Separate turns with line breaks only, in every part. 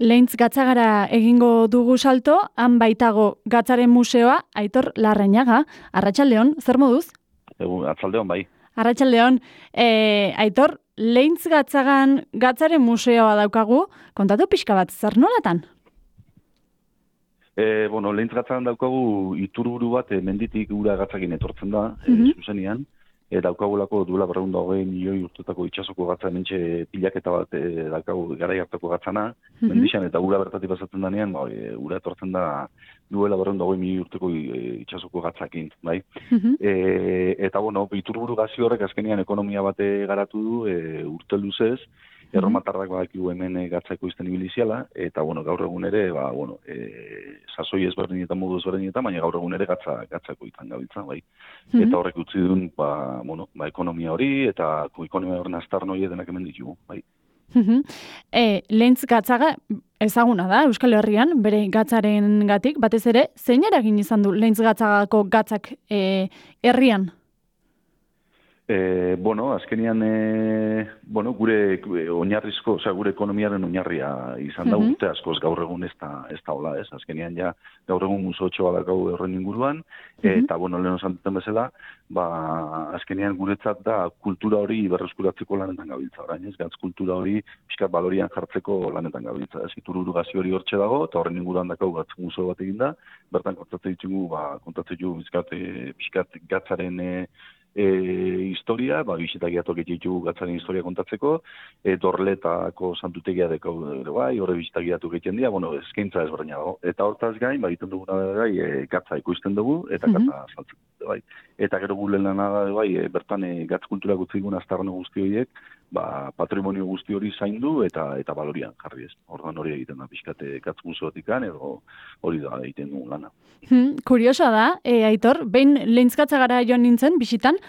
Leintz Gatzagara egingo dugu salto, han baitago Gatzaren museoa, Aitor Larrañaga. Arratsaldeon, zer moduz?
Arratsaldeon bai.
Arratsaldeon, Aitor, Leintz Gatzagan Gatzaren museoa daukagu, kontatu pixka bat, zer nolatan?
Leintz Gatzagan daukagu iturburu bat menditik ura gatzakin etortzen da, zuzenian. Daukagulako duela 220 milioi urtetako itsasoko gatza hementxe pilaketa bat daukagu garai hartako gatzana, mendixan eta ura bertatik pasatzen denean, ura etortzen da duela 220 milioi urteko itsasoko gatzakin, bai. Eta iturburu gazi horrek azkenean ekonomia bat garatu du urte luzez, erromatarrak badakigu hemen gatza ekoizten ibiliziala, eta gaur egun ere, sasoi ezberdinetan, modu ezberdinetan, baina gaur egun ere gatza ekoizten gabiltza, bai. Eta horrek utzi duen, ekonomia hori, eta ekonomia horren aztarno hori denak hemen ditugu, bai.
Leintz Gatzaga ezaguna da Euskal Herrian, bere gatzaren gatik, batez ere, zein eragin izan du Leintz Gatzagako gatzak herrian?
Azkenean, gure oinarrizko, gure ekonomiaren oinarria izan da urte askoz gaur egun ez da hola, ez? Azkenean ja gaur egun musotxoa dakau horren inguruan, eta lehen osantzen bezala, azkenean guretzat da kultura hori berreskuratzeko lanetan gabiltza orain, ez? Gatz kultura hori pixkat balorian jartzeko lanetan gabiltza, ez? Itururu gazi hori hortxe dago, eta horren inguruan dakau gatz museo bat egin da, bertan kontatzen ditugu pixkat gatzaren historia, bisitagiak ditugu gatzaren historia kontatzeko, Dorletako santutegia deko bai, horre bisitagiatu egiten dira, eskaintza ezberdina dago. Eta hortaz gain, egiten duguna gatza ikusten dugu, eta gatza saltzen dugu, bai. Eta gero gulen lana bai, bertan gatz kultura gutzigun aztarne guzti horiek, patrimonio guzti hori zaindu eta balorian jarri ez. Orduan hori egiten da pixkate gatz museotikan, edo hori da egiten dugun lana.
Kuriosoa da, Aitor, behin Leintz Gatzagara joan nintzen, bisitan,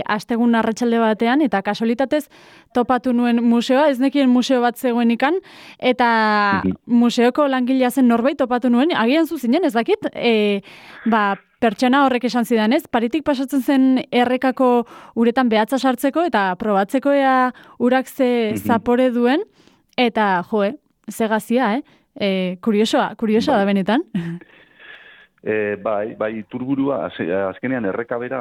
astegun arratsalde batean, eta kasualitatez topatu nuen museoa, ez nekien museo bat zegoen ikan, eta museoko langilea zen norbait topatu nuen, agian zuzinen, ez dakit, pertsona horrek esan zidan, ez? Paritik pasatzen zen errekako uretan behatza sartzeko, eta probatzeko ea urak ze zapore duen, eta ze gazia, kuriosoa da benetan.
Iturburua, azkenean erreka bera,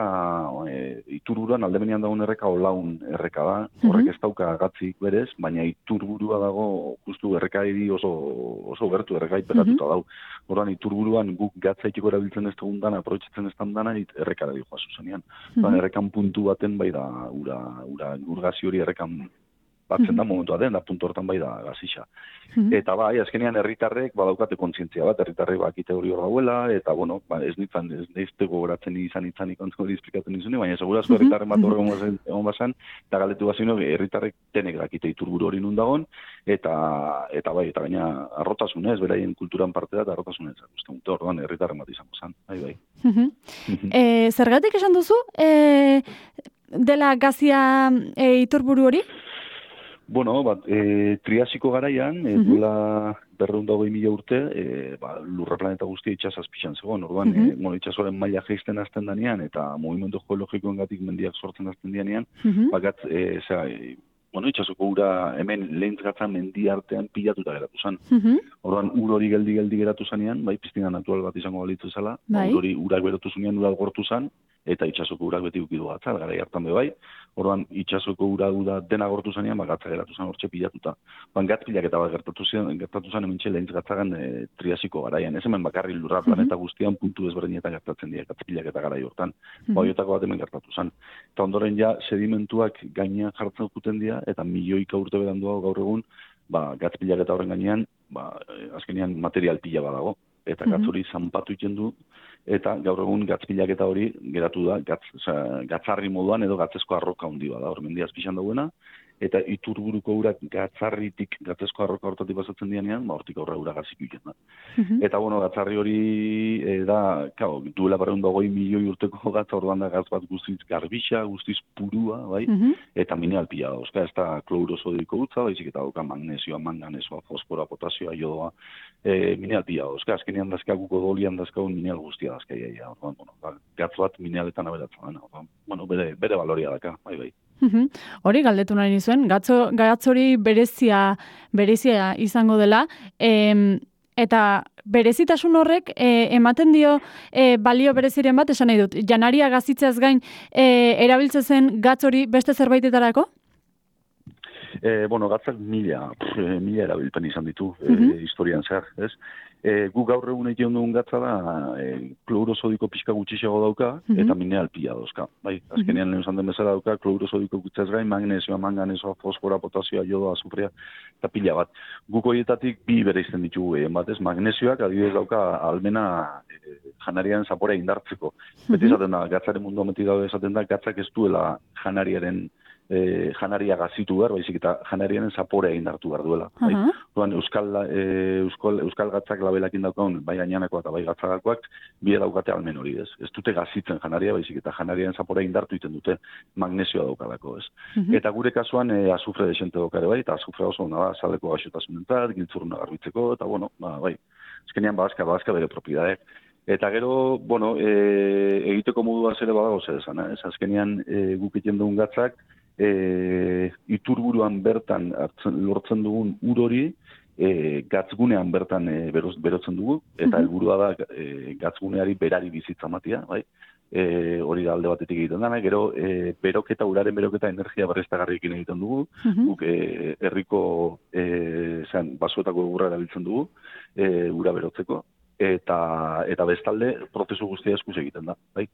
iturburuan aldebenean dagoen erreka olaun erreka da, horrek ez dauka gatzik berez, baina iturburua dago justu errekairi oso gertu errekai peratuta dau. Horren iturburuan guk gatzaitiko erabiltzen ez dugun dana, aprobetxatzen ez dana, errekara dihoa zuzenean. Errekan puntu baten bai da urgazi hori errekan batzen da momentu baten, da puntu hortan bai da gazisa. Eta azkenean herritarrek badaukate kontzientzia bat, herritarrek bakite hori hor dauela, eta ez neizteko goratzen izan ikontzko hori esplikatzen izune, baina segurazko herritarren bat horregon egon bazan, eta galetu bazino, herritarrek tenek dakite iturburu hori nundagon, eta gaina arrotasunez, beraien kulturan parte da, eta arrotasunez, orduan herritarren bat izango zan, bai.
Zergatik esan duzu, dela gazia iturburu hori?
Triasiko garaian, duela 220 mila urte, lurra planeta guztia itxasazpixan zegoen. Orduan, itxasoren maila jaisten azten danean, eta movimentu geologikoengatik mendiak sortzen azten danean, itxasoko ura hemen Leintz Gatzan mendi artean pilatuta geratu zen. Orduan, ur hori geldi geratu zanean, piztina natural bat izango balitzu zela, ur hori urak beratu zunean urak gortu zen, eta itxasoko urak beti ukidu gatza, garai hartan bai. Orduan, itxasoko ura dena gortu zanean, gatza geratu zen hortxe pilatuta. Gatz pilaketa bat gertatu zen hemen Leintz Gatzagan triasiko garaian. Ez hemen bakarri lurra planeta guztian puntu ezberdinetan gertatzen dira, gatz pilaketa garai hortan. Horietako bat hemen gertatu zen. Eta ondoren ja sedimentuak gainean jartzen juten dira, eta milioika urte beranduago gaur egun, gatz pilaketa horren gainean, azkenean material pila badago. Eta gatz hori zanpatu iten du, eta gaur egun gatz pilaketa hori geratu da, gatzarri moduan edo gatzezko arroka handi bada, hor mendiaz pixan dauena, eta iturburuko urak gatzarritik gatzezko arroka hortatik pasatzen dianean, hortik aurra ura gazik iten da. Eta gatzarri hori duela 220 milioi urteko gatza, orduan da gatz bat guztiz garbixa, guztiz purua, eta mineral pila da, ez da klourosodiko utza, baizik eta dauka magnesioa, manganesoa, fosfora, potasioa, jodoa, mineral pila da, azkenean dazkaguko dolian dazkagun mineral guztia dazkai, orduan, gatz bat mineraletan aberatzen dena, bere baloria daka, bai.
Hori galdetu nahi nizuen, gatz hori berezia izango dela, eta berezitasun horrek ematen dio balio bereziren bat, esan nahi dut, janaria gazitzeaz gain erabiltzen zen gatz hori beste zerbaitetarako?
Gatzak mila erabilpen izan ditu historian zehar, ez? Gu gaur egun egin duen gatza da klorosodiko pixka gutxiago dauka eta mineral pila dauzka. Bai, azkenean lehen esan den bezala dauka klorosodiko gutxaz gain, magnesioa, manganesoa, fosfora, potasioa, jodoa, azufrea eta pila bat. Guk horietatik bi bereizten ditugu batez, magnesioak adibidez dauka almena janariaren zaporea indartzeko. Beti esaten da, gatzaren mundu ameti daude esaten da, gatzak ez duela janaria gazitu behar, baizik eta janariaren zaporea indartu behar duela. Duan, euskal gatzak labelakin daukaun, bai gainanakoa eta bai gatzagakoak, bide daukate almen hori, ez? Ez dute gazitzen janaria, baizik eta janariaren zaporea indartu iten dute magnesioa daukalako, ez? Eta gure kasuan azufre desente daukare bai, eta azufre oso ona da, saleko gaixotasunentzat, giltzurruna garbitzeko, eta bai, ezkenean badazka bere propiedadek. Eta gero, egiteko modua zere badago zer esan, ez? Azkenean guk egiten dugun gatzak, iturburuan bertan lortzen dugun ur hori gatzgunean bertan berotzen dugu, eta helburua da gatzguneari berari bizitza matia, bai? Hori da alde batetik egiten dana, gero uraren beroketa energia berriztagarriekin egiten dugu, guk herriko basuetako egurra erabiltzen dugu, ura berotzeko, eta bestalde prozesu guztia eskuz egiten da, bai?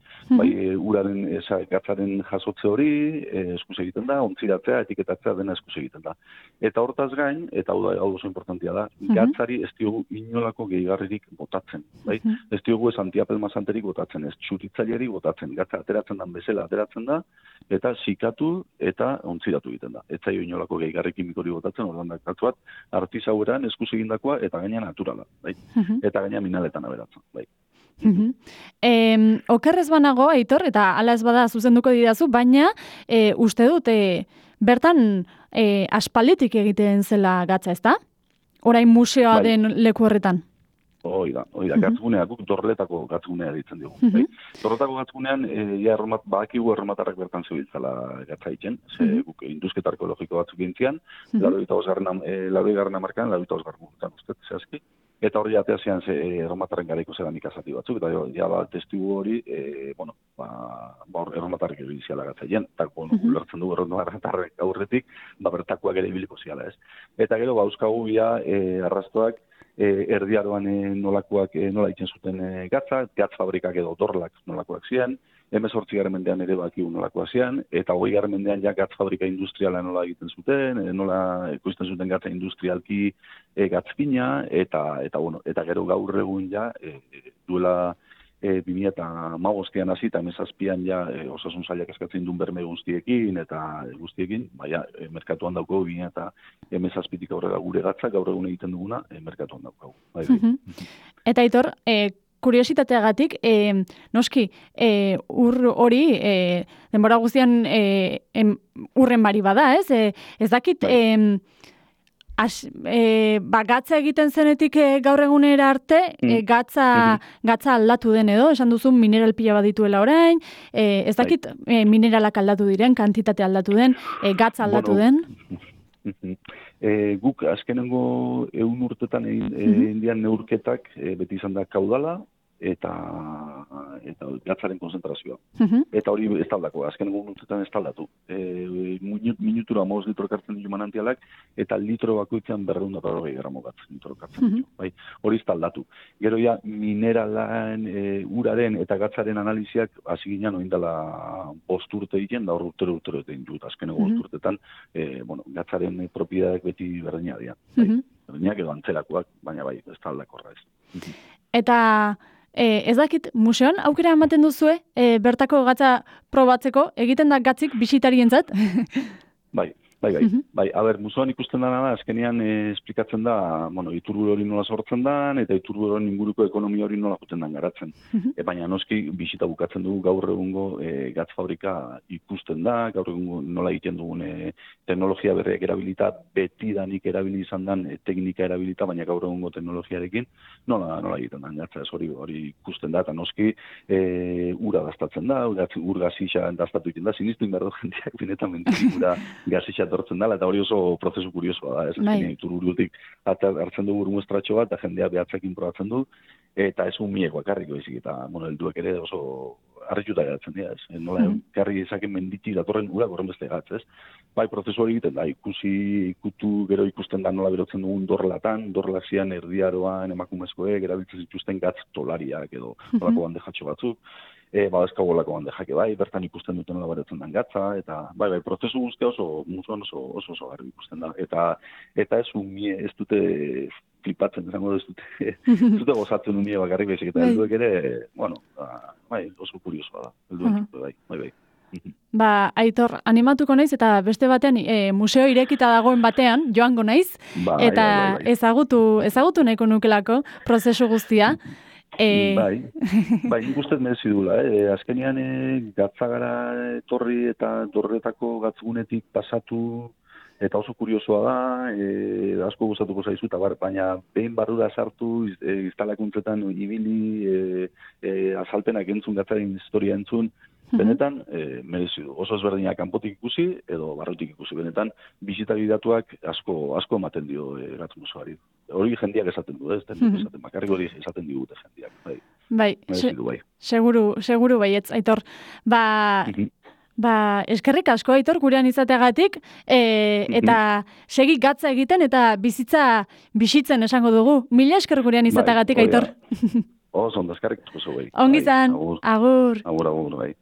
Uraren gatzaren jasotze hori eskuz egiten da, ontziratzea, etiketatzea dena eskuz egiten da. Eta hortaz gain, eta hau oso importantia da, gatzari ez diogu inolako gehigarririk botatzen, bai? Ez diogu ez antiapelmazanterik botatzen, ez txuritzailerik botatzen, gatza ateratzen den bezala ateratzen da, eta sikatu eta ontziratu egiten da. Ez zaio inolako gehigarri kimikori botatzen, ordan da gatz bat artisaueran eskuz egindakoa eta gaina naturala, bai? Eta gaina minaletan aberatzen, bai.
Okerrez banago, Aitor, eta ala ez bada zuzenduko didazu, baina uste dut bertan aspalditik egiten zela gatza, ezta? Orain museoa den leku horretan.
Hoi da, gatzgunea, guk dorletako gatzgunea ditzen dugu. Dorletako gatzgunean, badakigu erromatarrak bertan zebiltzala gatza egiten, guk induzketa arkeologiko batzuk gintzian, 80. markan, 85. urtean ustez, zehazki, eta hori ateazian erromatarren garaiko zeramika zati batzuk, eta ja testigu hori, erromatarrik ebiliziala gatza egin, eta ulertzen dugu erromatarrek aurretik, bertakoak ere ibiliko ziala, ez. Eta gero, bauzkagu bia arrastoak, erdiaroan nola itzen zuten gatz fabrikak edo dorlak nolakoak ziren, 18. mendean ere bakigu nolakoak ziren, eta 20. mendean ja gatz fabrika industriala nola egiten zuten, nola ekoizten zuten gatza industrialki gatzkina, eta gero gaur egun ja duela 2015an hasi eta 2017an ja osasun sailak eskatzen duen berme guztiekin eta guztiekin, merkatuan daukagu 2017tik aurrera gure gatzak gaur egun egiten duguna merkatuan daukagu.
Eta Aitor, kuriositateagatik, noski, ur hori denbora guztian urren bari bada, ez? Ez dakit, gatza egiten zenetik gaur egunera arte, gatza aldatu den edo, esan duzu mineral pila bat dituela orain, ez dakit mineralak aldatu diren, kantitate aldatu den, gatza aldatu den?
Guk azkenengo 100 urtetan indian neurketak beti izan da kaudala, eta gatzaren konzentrazioa. Eta hori ez taldako, azken egun urtetan ez taldatu. Minutura 5 litro kartzen ditu manantialak, eta litro bakoitzean 240 gramo gatz litro kartzen ditu. Hori ez taldatu. Gero ja, mineralen, uraren eta gatzaren analiziak hasi ginen oindala 5 urte egiten, da hor urtero egiten dut. Azken egun urtetan, gatzaren propiedadek beti berdina dira. Berdinak edo antzerakoak, baina bai, ez taldakorra ez.
Eta ez dakit, museoan aukera ematen duzue, bertako gatza probatzeko, egiten da gatzik bisitarientzat?
Bai, Bai, museoan ikusten dana da, azkenean esplikatzen da, iturburu hori nola sortzen da, eta iturburu hori inguruko ekonomia hori nola juten dan garatzen. Baina noski, bisita bukatzen dugu gaur egungo gatz fabrika ikusten da, gaur egungo nola egiten dugun teknologia berriak erabilita, beti danik erabili izan dan teknika erabilita, baina gaur egungo teknologiarekin nola egiten dan gatza, hori ikusten da, eta noski ura daztatzen da, ur gazisa daztatu egiten da, sinistu inberdo jendeak binetan menturik ura gazisa dortzen dela, eta hori oso prozesu kuriosoa da, ez azkenean itururutik hartzen dugu muestratxo bat, eta jendea behatzekin probatzen du, eta ez miek bakarriko ezik, eta, helduek ere oso harrituta geratzen dira, ez? Nola, karri ezaken menditi datorren ura gorren beste gatz, ez? Bai, prozesu hori egiten da, ikutu gero ikusten da nola berotzen dugun dorrelatan, dorrelak zian erdiaroan emakumezkoek, erabiltzen zituzten gatz tolariak edo olako bandejatxo batzuk, badazkago olako bandejake bai, bertan ikusten duten nola berotzen den gatza, eta bai, prozesu guztia oso garbi ikusten da, eta ez dute flipatzen, ez dute gozatzen umie bakarrik bezik, eta helduek ere, oso kuriosoa da, helduek, bai.
Aitor, animatuko naiz, eta beste batean museo irekita dagoen batean, joango naiz, eta ezagutu nahiko nukelako prozesu guztia.
Nik ustez merezi dula, azkenean gatzagara etorri eta dorretako gatzgunetik pasatu, eta oso kuriosoa da, asko gustatuko zaizu, eta baina behin barrura sartu, instalakuntzetan ibili, azalpenak entzun, gatzaren historia entzun, benetan, merezi du. Oso ezberdinak kanpotik ikusi, edo barrutik ikusi. Benetan, bisita gidatuak asko ematen dio gatz museoari. Hori jendiak esaten du, ez? Bakarrik hori esaten digute jendiak. Merezi du, bai.
Seguru baietz, Aitor. Eskerrik asko, Aitor, gurean izateagatik, eta segi gatza egiten eta bizitza bizitzen esango dugu. Mila esker gurean izateagatik, Aitor.
Oso, ondo, eskerrik asko, bai.
Ongizan, agur.
Agur, bai.